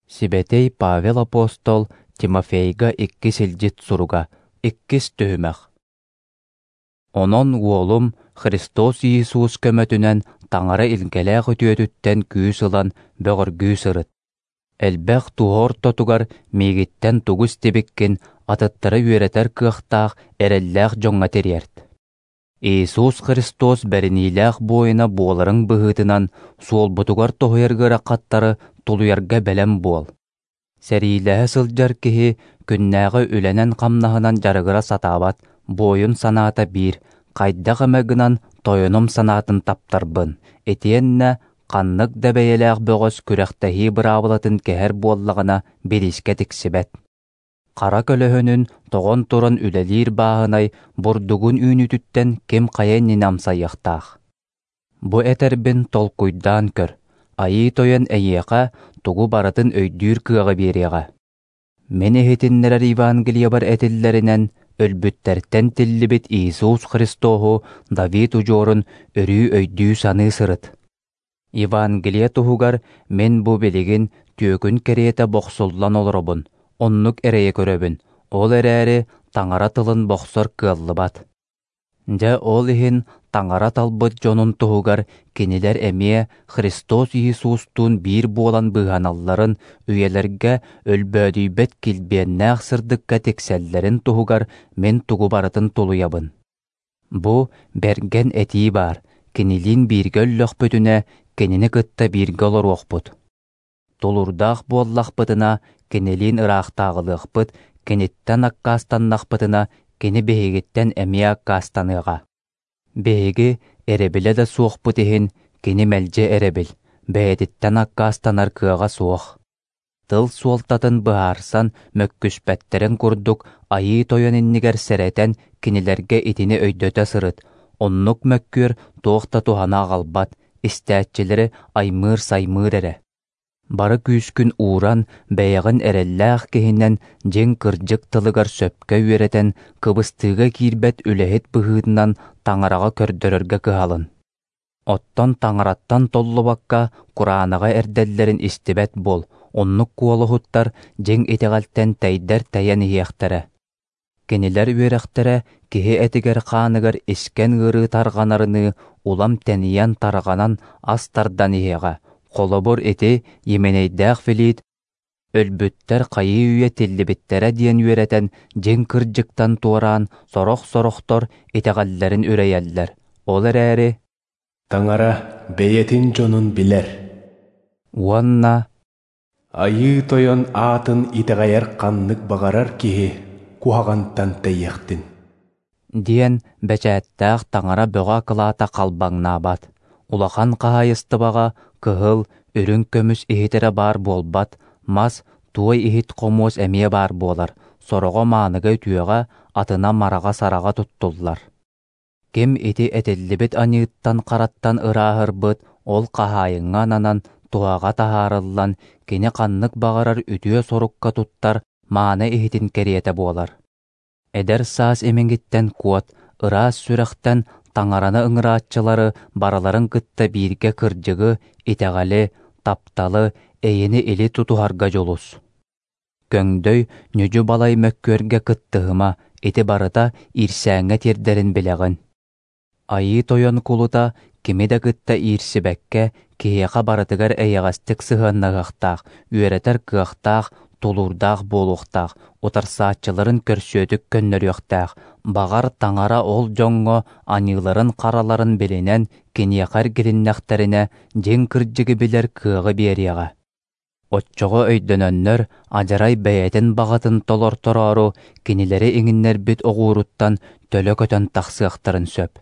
Сибэтэй Павел апостол Тимофейга иккис илдьит суруга, иккис түһүмэх. Онон, уолум, Христос Иисус көмөтүнэн Таҥара илгэлээх үтүөтүттэн күүс ылан бөҕөргүү сырыт. Элбэх туһа ортотугар миигиттэн тугу истибиккин атыттары үөрэтэр кыахтаах эрэллээх дьоҥҥо тириэрт. Иисус Христос бэриниилээх буойуна буоларыҥ быһыытынан суолбутугар тоһуйар ыарахаттары тулуйарга бэлэм буол. Сэриилэһэ сылдьар киһи күннээҕи үлэнэн-хамнаһынан дьарыгыра сатаабат, буойун санаата биир, хайдах эмэ гынан тойонум санаатын таптарбын, итиэннэ ханнык да бэйэлээх бөҕөс күрэхтэһии быраабылатын кэһэр буоллаҕына бириискэ тиксибэт. Хара көлөһүнүн тоҕон туран үлэлиир бааһынай бурдугун үүнүүтүттэн ким хайа иннинэ амсайыахтаах. Бу этэрбин толкуйдаан көр, Айыы Тойон эйиэхэ тугу барытын өйдүүр кыаҕы биэриэҕэ. Мин иһитиннэрэр Евангелиебар этиллэринэн, өлбүттэртэн тиллибит Иисус Христоһу Давид удьуорун өрүү өйдүү-саныы сырыт. Евангелие туһугар мин бу билигин түөкүн кэриэтэ бохсуллан олоробун, оннук эрэйи көрөбүн, ол эрээри Таҥара тылын бохсор кыаллыбат. Дьэ ол иһин Таҥара талбыт дьонун туһугар кинилэр эмиэ Христос Иисустуун биир буолан быыһаналларын, үйэлэргэ өлбөөдүйбэт килбиэннээх сырдыкка тиксэллэрин туһугар мин тугу барытын тулуйабын. Бу бэргэн этии баар: кинилиин бииргэ өллөхпүтүнэ, кинини кытта бииргэ олоруохпут. Тулуурдаах буоллахпытына, кинилиин ыраахтааҕылыахпыт, киниттэн аккаастаннахпытына, кини биһигиттэн эмиэ аккаастаныаҕа. Биһиги эрэбилэ да суохпут иһин, кини мэлдьи эрэбил, бэйэтиттэн аккаастанар кыаҕа суох. Тыл суолтатын быһаарсан мөккүспэттэрин курдук Айыы Тойон иннигэр сэрэтэн кинилэргэ итини өйдөтө сырыт, оннук мөккүөр туох да туһаны аҕалбат, истээччилэри аймыыр-саймыыр эрэ. Бары күүскүн ууран, бэйэҕин эрэллээх киһинэн дьиҥ кырдьык тылыгар сөпкө үөрэтэн, кыбыстыыга киирбэт үлэһит быһыытынан Таҥараҕа көрдөрөргө кыһалын. Оттон Таҥараттан толлубакка кураанаҕы эрдэллэрин истибэт буол, оннук куолуһуттар дьиҥ итэҕэлтэн тэйдэр тэйэн иһиэхтэрэ. Кинилэр үөрэхтэрэ киһи этигэр-хааныгар искэн ыарыы тарҕанарыныы улам тэнийэн-тарҕанан ас тардан иһиэҕэ. Холобур, ити Еменейдээх Филит өлбүттэр хайыы-үйэ тиллибиттэрэ диэн үөрэтэн дьиҥ кырдьыктан туораан сорох-сорохтор итэҕэллэрин үрэйэллэр. Ол эрээри Таҥара бэйэтин дьонун билэр. Уонна Айыы Тойон аатын итэҕэйэр ханнык баҕарар киһи куһаҕантан тэйиэхтин. Диэн бэчээттээх таҥара бөҕө акылаата халбаҥнаабат. Улахан хаһаайыстыбаҕа кыһыл, үрүҥ көмүс иһит эрэ баар буолбат, мас, туой иһит-хомуос эмиэ баар буолар, сороҕо мааныга-үтүөҕэ, атына мараҕа-сараҕа туттуллар. Ким ити этиллибит аньыыттан-хараттан ырааһырбыт, ол хаһаайыҥҥа ананан туһаҕа таһаарыллан, кини ханнык баҕарар үтүө сорукка туттар мааны иһитин кэриэтэ буолар. Эдэр саас имиҥиттэн куот, ыраас сүрэхтэн Таҥараны ыҥырааччылары барыларын кытта бииргэ кырдьыгы, итэҕэли, тапталы, эйэни-или тутуһарга дьулус. Көҥдөй, ньүдьү-балай мөккүөргэ кыттыһыма, ити барыта иирсээҥҥэ тиэрдэрин билэҕин. Айыы Тойон кулута кими да кытта иирсибэккэ, киһиэхэ барытыгар эйэҕэстик сыһыаннаһыахтаах, үөрэтэр кыахтаах, тулуурдаах буолуохтаах, утарсааччыларын көрсүөтүк көннөрүөхтээх, баҕар, Таҥара ол дьоҥҥо аньыыларын-хараларын билинэн, киниэхэ эргилиннэхтэринэ, дьиҥ кырдьыгы билэр кыаҕы биэриэҕэ. Оччоҕо өйдөнөннөр, адьарай бэйэтин баҕатын толортороору кинилэри иҥиннэрбит оҕууруттан төлө көтөн тахсыахтарын сөп.